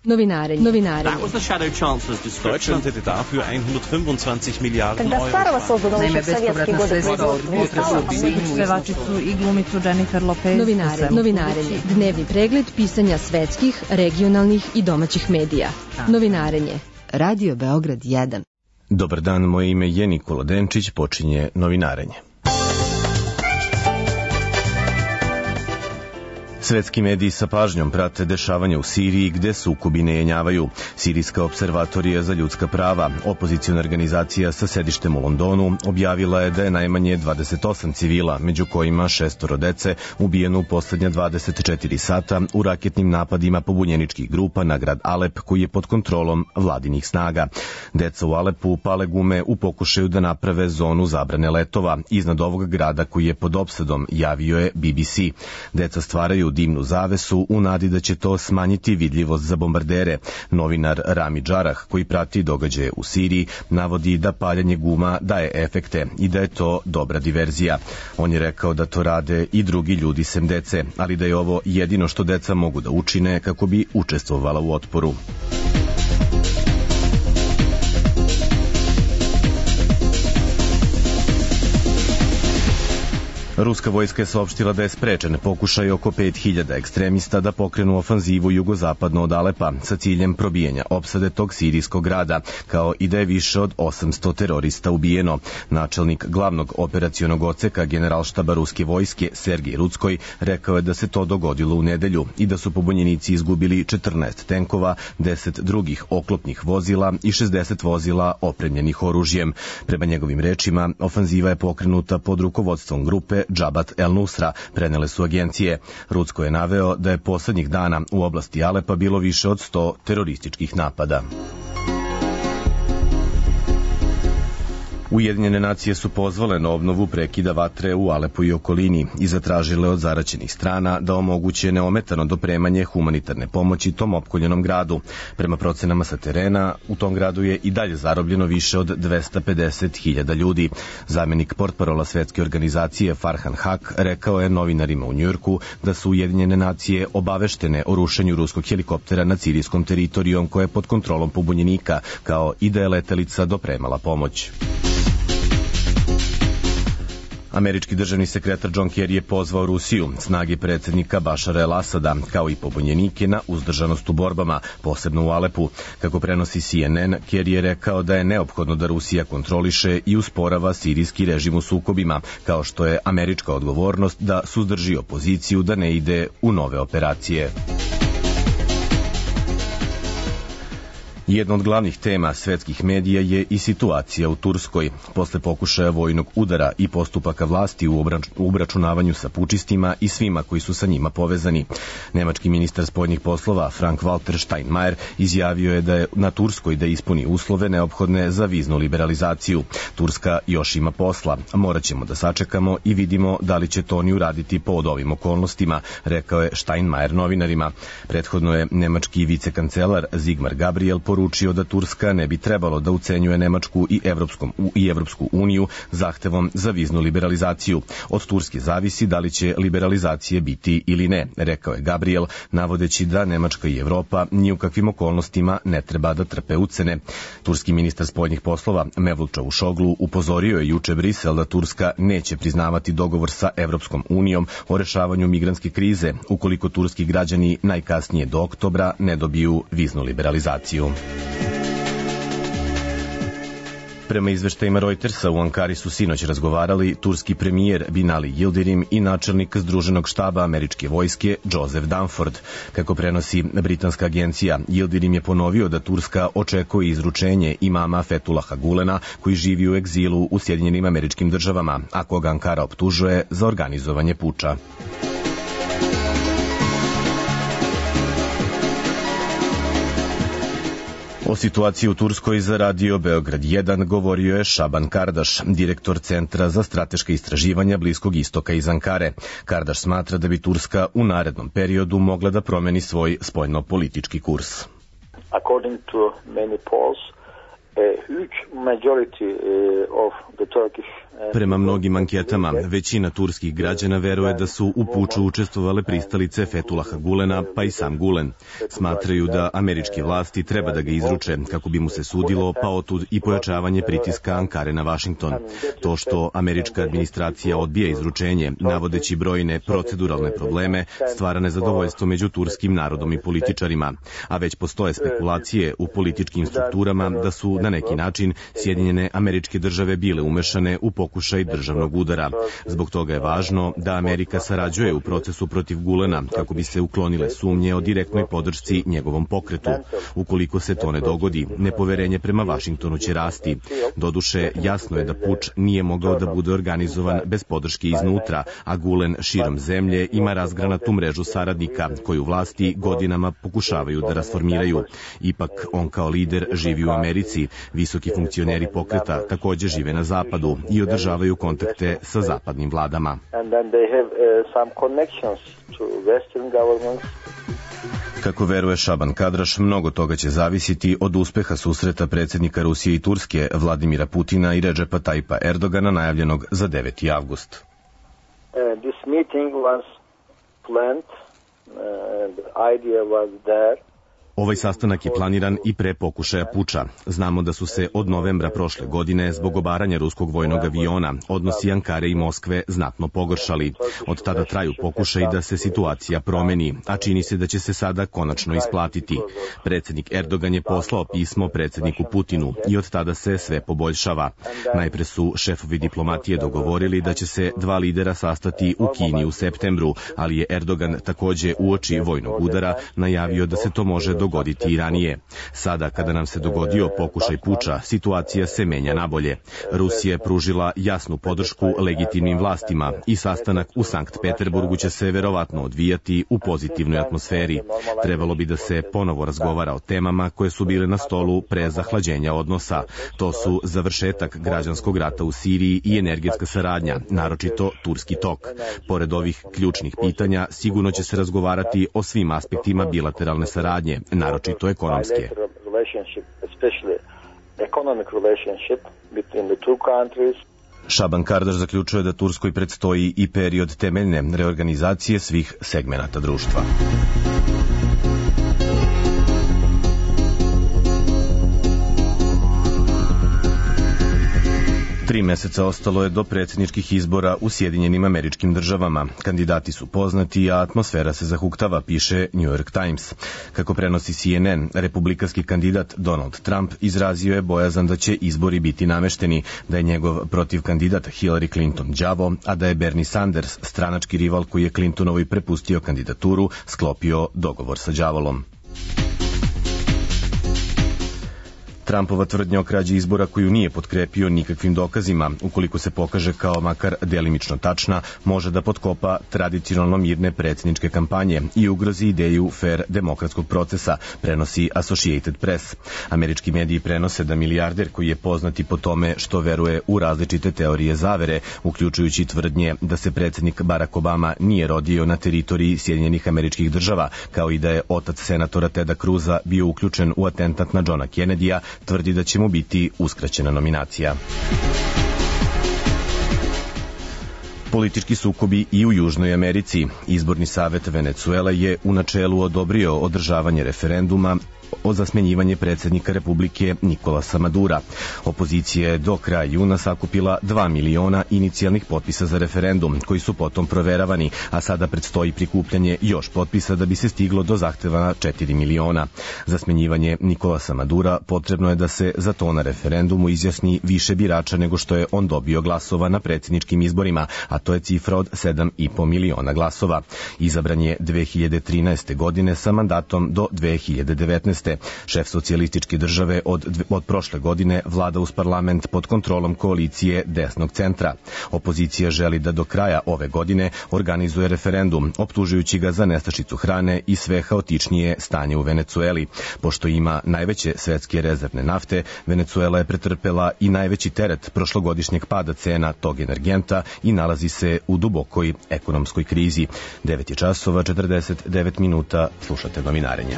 Novinarenje. That was the Shadow Chancellor's description. Deutschland hätte dafür 125 Milijarden Когда Старого создано еще в советские годы Pevačicu i glumicu Jennifer Lopez. Novinarenje. Dnevni pregled pisanja svetskih, regionalnih i domaćih medija. Novinarenje. Radio Beograd 1. Dobar dan, moje ime je Nikola Denčić, počinje Novinarenje. Svetski mediji sa pažnjom prate dešavanja u Siriji gde sukobi ne jenjavaju. Sirijska observatorija za ljudska prava, opoziciona organizacija sa sedištem u Londonu, objavila je da je najmanje 28 civila, među kojima 6 dece, ubijeno u poslednja 24 sata u raketnim napadima pobunjeničkih grupa na grad Alep koji je pod kontrolom vladinih snaga. Deca u Alepu pale gume u pokušaju da naprave zonu zabrane letova iznad ovog grada koji je pod opsadom, javio je BBC. Deca stvaraju dimnu zavesu u nadi da će to smanjiti vidljivost za bombardere. Novinar Rami Džarah, koji prati događaje u Siriji, navodi da paljanje guma daje efekte i da je to dobra diverzija. On je rekao da to rade i drugi ljudi sem dece, ali da je ovo jedino što deca mogu da učine kako bi učestvovala u otporu. Ruska vojska je saopštila da je sprečen pokušaj oko 5000 ekstremista da pokrenu ofanzivu jugozapadno od Alepa sa ciljem probijanja opsade tog sirijskog grada, kao i da je više od 800 terorista ubijeno. Načelnik glavnog operacionog odseka generalštaba ruske vojske Sergij Rudskoj rekao je da se to dogodilo u nedelju i da su pobunjenici izgubili 14 tenkova, 10 drugih oklopnih vozila i 60 vozila opremljenih oružjem. Prema njegovim rečima, ofanziva je pokrenuta pod rukovodstvom grupe Džabat el-Nusra, prenele su agencije. Rudsko je naveo da je poslednjih dana u oblasti Alepa bilo više od 100 terorističkih napada. Ujedinjene nacije su pozvale na obnovu prekida vatre u Alepu i okolini i zatražile od zaraćenih strana da omoguće neometano dopremanje humanitarne pomoći tom opkoljenom gradu. Prema procenama sa terena, u tom gradu je i dalje zarobljeno više od 250.000 ljudi. Zamenik portparola svetske organizacije Farhan Haq rekao je novinarima u Njujorku da su Ujedinjene nacije obaveštene o rušenju ruskog helikoptera nad sirijskom teritorijom koja je pod kontrolom pobunjenika, kao i da je letelica dopremala pomoć. Američki državni sekretar John Kerry je pozvao Rusiju, snage predsjednika Bašara el-Asada, kao i pobunjenike na uzdržanost u borbama, posebno u Alepu. Kako prenosi CNN, Kerry je rekao da je neophodno da Rusija kontroliše i usporava sirijski režim u sukobima, kao što je američka odgovornost da suzdrži opoziciju da ne ide u nove operacije. Jedna od glavnih tema svetskih medija je i situacija u Turskoj. Posle pokušaja vojnog udara i postupaka vlasti u obračunavanju sa pučistima i svima koji su sa njima povezani. Nemački ministar spoljnih poslova Frank-Walter Steinmeier izjavio je da je na Turskoj da ispuni uslove neophodne za viznu liberalizaciju. Turska još ima posla, morat ćemo da sačekamo i vidimo da li će to oni uraditi pod ovim okolnostima, rekao je Steinmeier novinarima. Prethodno je nemački vicekancelar Sigmar Gabriel poručio da Turska ne bi trebalo da ucenjuje Nemačku i Evropsku uniju zahtevom za viznu liberalizaciju. Od Turske zavisi da li će liberalizacije biti ili ne, rekao je Gabriel, navodeći da Nemačka i Evropa ni u kakvim okolnostima ne treba da trpe ucene. Turski ministar spoljnih poslova Mevlut Čavuşoglu upozorio je juče Brisel da Turska neće priznavati dogovor sa Evropskom unijom o rešavanju migrantske krize ukoliko turski građani najkasnije do oktobra ne dobiju viznu liberalizaciju. Prema izveštajima Reutersa, u Ankari su sinoć razgovarali turski premijer Binali Yildirim i načelnik Združenog štaba američke vojske Joseph Dunford. Kako prenosi britanska agencija, Yildirim je ponovio da Turska očekuje izručenje imama Fethullaha Gulena, koji živi u egzilu u Sjedinjenim Američkim Državama, a koga Ankara optužuje za organizovanje puča. O situaciji u Turskoj za Radio Beograd 1 govorio je Šaban Kardaš, direktor Centra za strateška istraživanja Bliskog istoka iz Ankare. Kardaš smatra da bi Turska u narednom periodu mogla da promeni svoj spoljno-politički kurs. According to many polls, Prema mnogim anketama, većina turskih građana veruje da su u puču učestvovale pristalice Fethullaha Gulena, pa i sam Gulen. Smatraju da američke vlasti treba da ga izruče kako bi mu se sudilo, pa otud i pojačavanje pritiska Ankare na Vašington. To što američka administracija odbija izručenje, navodeći brojne proceduralne probleme, stvara nezadovoljstvo među turskim narodom i političarima. A već postoje spekulacije u političkim strukturama da su na neki način Sjedinjene Američke Države bile umešane u pokušaj državnog udara. Zbog toga je važno da Amerika sarađuje u procesu protiv Gulena kako bi se uklonile sumnje o direktnoj podršci njegovom pokretu. Ukoliko se to ne dogodi, nepoverenje prema Vašingtonu će rasti. Doduše, jasno je da puč nije mogao da bude organizovan bez podrške iznutra, a Gulen širom zemlje ima razgranatu mrežu saradnika koju vlasti godinama pokušavaju da rasformiraju. Ipak, on kao lider živi u Americi. Visoki funkcioneri pokreta također žive na zapadu i održavaju kontakte sa zapadnim vladama. Kako veruje Šaban Kadraš, mnogo toga će zavisiti od uspeha susreta predsjednika Rusije i Turske Vladimira Putina i Redžepa Tajpa Erdogana najavljenog za 9. avgust. This meeting was planned. The idea was there. Ovaj sastanak je planiran i pre pokušaja puča. Znamo da su se od novembra prošle godine zbog obaranja ruskog vojnog aviona odnosi Ankare i Moskve znatno pogoršali. Od tada traju pokušaj da se situacija promeni, a čini se da će se sada konačno isplatiti. Predsjednik Erdogan je poslao pismo predsjedniku Putinu i od tada se sve poboljšava. Najpre su šefovi diplomatije dogovorili da će se dva lidera sastati u Kini u septembru, ali je Erdogan također uoči vojnog udara najavio da se to može dogoditi i ranije. Sada, kada nam se dogodio pokušaj puča, situacija se menja nabolje. Rusija je pružila jasnu podršku legitimnim vlastima i sastanak u Sankt Peterburgu će se verovatno odvijati u pozitivnoj atmosferi. Trebalo bi da se ponovo razgovara o temama koje su bile na stolu pre zahlađenja odnosa. To su završetak građanskog rata u Siriji i energetska saradnja, naročito Turski tok. Pored ovih ključnih pitanja, sigurno će se razgovarati o svim aspektima bilateralne saradnje, naročito ekonomske. Šaban Kardaš zaključuje da Turskoj predstoji i period temeljne reorganizacije svih segmenata društva. 3 meseca ostalo je do predsjedničkih izbora u Sjedinjenim Američkim Državama. Kandidati su poznati, a atmosfera se zahuktava, piše New York Times. Kako prenosi CNN, republikanski kandidat Donald Trump izrazio je bojazan da će izbori biti namešteni, da je njegov protivkandidat Hillary Clinton đavo, a da je Bernie Sanders, stranački rival koji je Clintonovoj prepustio kandidaturu, sklopio dogovor sa đavolom. Trumpova tvrdnja o krađi izbora koju nije potkrepio nikakvim dokazima, ukoliko se pokaže kao makar delimično tačna, može da potkopa tradicionalno mirne predsjedničke kampanje i ugrozi ideju fair demokratskog procesa, prenosi Associated Press. Američki mediji prenose da milijarder koji je poznati po tome što veruje u različite teorije zavere, uključujući tvrdnje da se predsjednik Barack Obama nije rodio na teritoriji Sjedinjenih Američkih Država, kao i da je otac senatora Teda Cruza bio uključen u atentat na Johna Kennedya, tvrdi da će mu biti uskraćena nominacija. Politički sukobi i u Južnoj Americi. Izborni savet Venecuele je u načelu odobrio održavanje referenduma za smjenjivanje predsjednika Republike Nikolasa Madura. Opozicija je do kraja juna sakupila 2 miliona inicijalnih potpisa za referendum, koji su potom proveravani, a sada predstoji prikupljanje još potpisa da bi se stiglo do zahtevana 4 miliona. Za smjenjivanje Nikolasa Madura potrebno je da se za to na referendumu izjasni više birača nego što je on dobio glasova na predsjedničkim izborima, a to je cifra od 7,5 miliona glasova. Izabran je 2013. godine sa mandatom do 2019. Šef socijalističke države od prošle godine vlada uz parlament pod kontrolom koalicije desnog centra. Opozicija želi da do kraja ove godine organizuje referendum, optužujući ga za nestašicu hrane i sve haotičnije stanje u Venecueli. Pošto ima najveće svetske rezervne nafte, Venecuela je pretrpela i najveći teret prošlogodišnjeg pada cena tog energenta i nalazi se u dubokoj ekonomskoj krizi. 9:49, slušate novinarenja.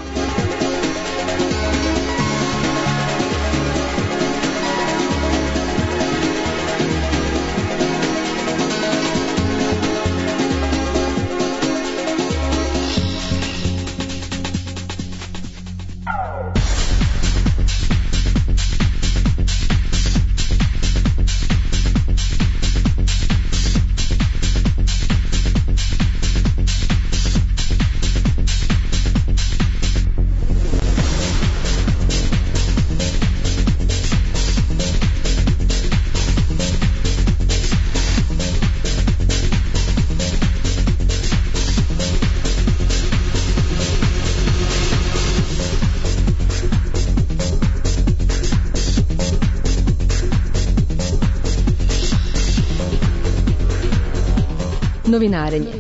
Novinarenje.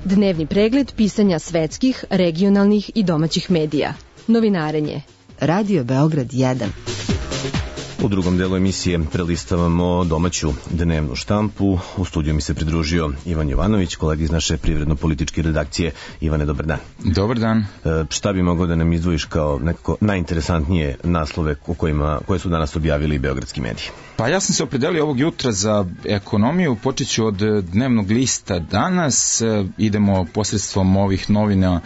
Dnevni pregled pisanja svetskih, regionalnih i domaćih medija. Novinarenje. Radio Beograd 1. U drugom delu emisije prelistavamo domaću dnevnu štampu. U studiju mi se pridružio Ivan Jovanović, kolega iz naše privredno-političke redakcije. Ivane, dobar dan. Dobar dan. Šta bi mogao da nam izdvojiš kao nekako najinteresantnije naslove koje su danas objavili beogradski mediji? Pa ja sam se opredelio ovog jutra za ekonomiju. Počet ću od dnevnog lista Danas. Idemo posredstvom ovih novina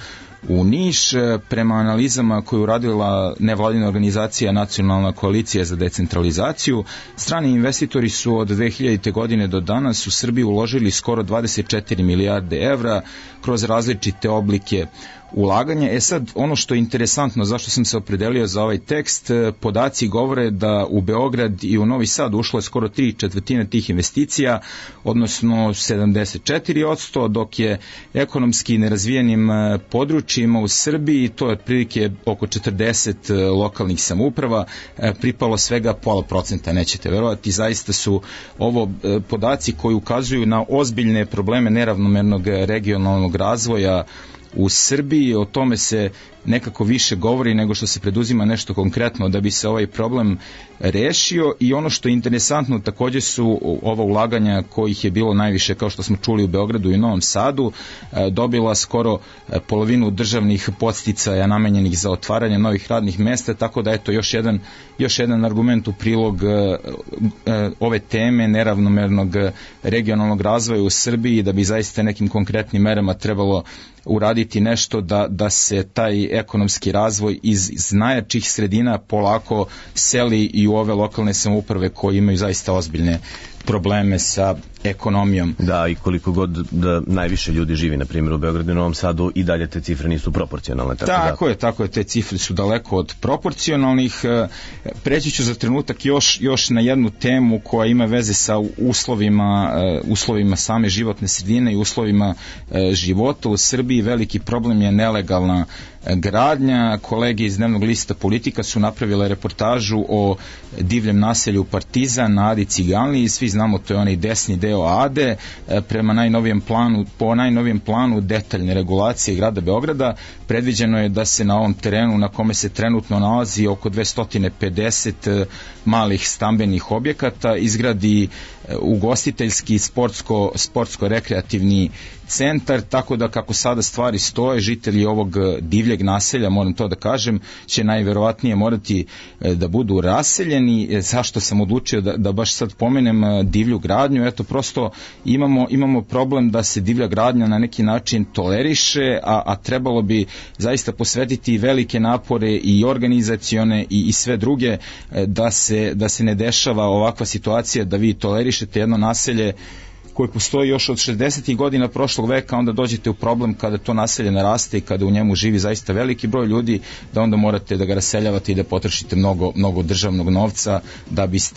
u Niš. Prema analizama koju je uradila nevladina organizacija Nacionalna koalicija za decentralizaciju, strani investitori su od 2000. godine do danas u Srbiji uložili skoro 24 milijarde evra kroz različite oblike ulaganja. Sad, ono što je interesantno, zašto sam se opredelio za ovaj tekst, podaci govore da u Beograd i u Novi Sad ušlo je skoro 3/4 tih investicija, odnosno 74%, dok je ekonomski nerazvijenim područjima u Srbiji, to je otprilike oko 40 lokalnih samouprava, pripalo svega 0,5%, nećete verovati. Zaista su ovo podaci koji ukazuju na ozbiljne probleme neravnomernog regionalnog razvoja u Srbiji. O tome se nekako više govori nego što se preduzima nešto konkretno da bi se ovaj problem rešio. I ono što je interesantno također su ova ulaganja kojih je bilo najviše, kao što smo čuli, u Beogradu i Novom Sadu, dobila skoro polovinu državnih podsticaja namenjenih za otvaranje novih radnih mesta, tako da eto još jedan argument u prilog ove teme neravnomernog regionalnog razvoja u Srbiji, da bi zaista nekim konkretnim merama trebalo uraditi nešto da se taj ekonomski razvoj iz najjačih sredina polako seli i u ove lokalne samouprave koje imaju zaista ozbiljne probleme sa ekonomijom. Da, i koliko god da najviše ljudi živi, na primjer u Beogradu i Novom Sadu, i dalje te cifre nisu proporcionalne. Tako je, te cifre su daleko od proporcionalnih. Preći ću za trenutak još na jednu temu koja ima veze sa uslovima same životne sredine i uslovima života u Srbiji. Veliki problem je nelegalna gradnja. Kolege iz dnevnog lista Politika su napravile reportažu o divljem naselju Partizan na Adi Ciganliji. Svi znamo, to je onaj desni deo Ade. Po najnovijem planu detaljne regulacije grada Beograda predviđeno je da se na ovom terenu, na kome se trenutno nalazi oko 250 malih stambenih objekata, izgradi ugostiteljski sportsko-rekreativni centar, tako da kako sada stvari stoje, žitelji ovog divljeg naselja, moram to da kažem, će najverovatnije morati da budu raseljeni. Zašto sam odlučio da baš sad pomenem divlju gradnju? Eto, prosto imamo problem da se divlja gradnja na neki način toleriše, a trebalo bi zaista posvetiti velike napore i organizacione i sve druge da se ne dešava ovakva situacija da vi tolerišete jedno naselje koje postoji još od 60. godina prošlog veka, onda dođete u problem kada to naselje naraste i kada u njemu živi zaista veliki broj ljudi, da onda morate da ga raseljavate i da potrošite mnogo državnog novca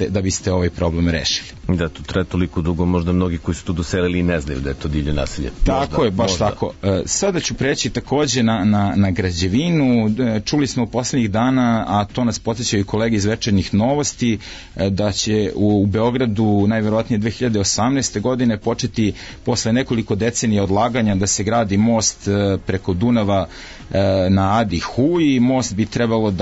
da biste ovaj problem rešili. Da, to traje toliko dugo, možda mnogi koji su tu doselili i ne znaju da je to divlje naselje. Tako je, baš tako. Sada ću preći takođe na građevinu. Čuli smo u poslednjih dana, a to nas podsjećaju i kolege iz Večernjih novosti, da će u Beogradu najverovatnije 2018. godine početi posle nekoliko decenija odlaganja da se gradi most preko Dunava na Adi Huji. Most bi trebalo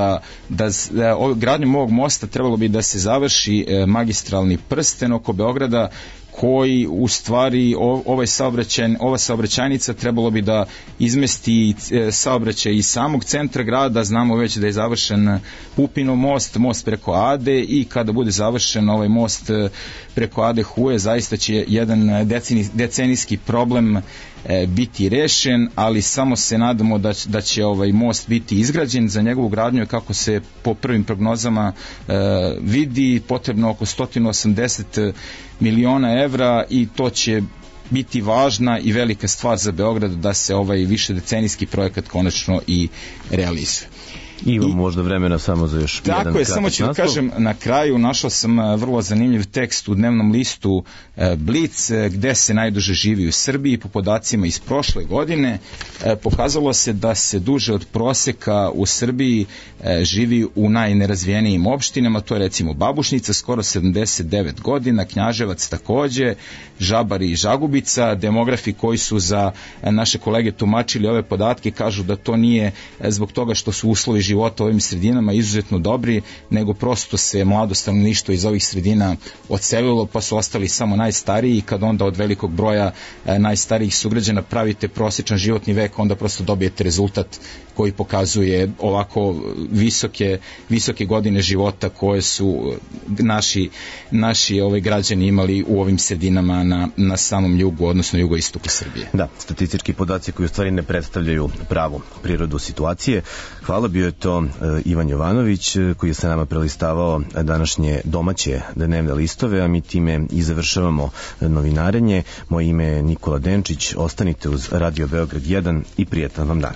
gradnjom ovog mosta trebalo bi da se završi magistralni prsten oko Beograda, koji u stvari ova saobraćajnica trebalo bi da izmesti saobraćaj iz samog centra grada. Znamo već da je završen Pupinov most preko Ade, i kada bude završen ovaj most preko Ade Huje, zaista će jedan decenijski problem biti rešen, ali samo se nadamo da će ovaj most biti izgrađen. Za njegovu gradnju, kako se po prvim prognozama vidi, potrebno oko 180 miliona evra, i to će biti važna i velika stvar za Beograd da se ovaj višedecenijski projekat konačno i realizuje. Ima možda vremena samo za još jedan kratak naslov. Tako je, samo ću da kažem na kraju, našao sam vrlo zanimljiv tekst u dnevnom listu Blic, gde se najduže živi u Srbiji. Po podacima iz prošle godine pokazalo se da se duže od proseka u Srbiji živi u najnerazvijenijim opštinama, to je recimo Babušnica, skoro 79 godina, Knjaževac takođe, Žabar i Žagubica. Demografi koji su za naše kolege tumačili ove podatke kažu da to nije zbog toga što su uslovi života u ovim sredinama izuzetno dobri, nego prosto se mlado stanovništvo iz ovih sredina odselilo, pa su ostali samo najstariji, i kad onda od velikog broja najstarijih sugrađana pravite prosječan životni vek, onda prosto dobijete rezultat koji pokazuje ovako visoke godine života koje su naši građani imali u ovim sredinama na samom jugu, odnosno jugoistoku Srbije. Da, statistički podaci koji u stvari ne predstavljaju pravu prirodu situacije. Hvala, bio je to Ivan Jovanović koji je sa nama prelistavao današnje domaće dnevne listove, a mi time i završavamo novinarenje. Moje ime je Nikola Denčić, ostanite uz Radio Beograd 1 i prijetan vam dan.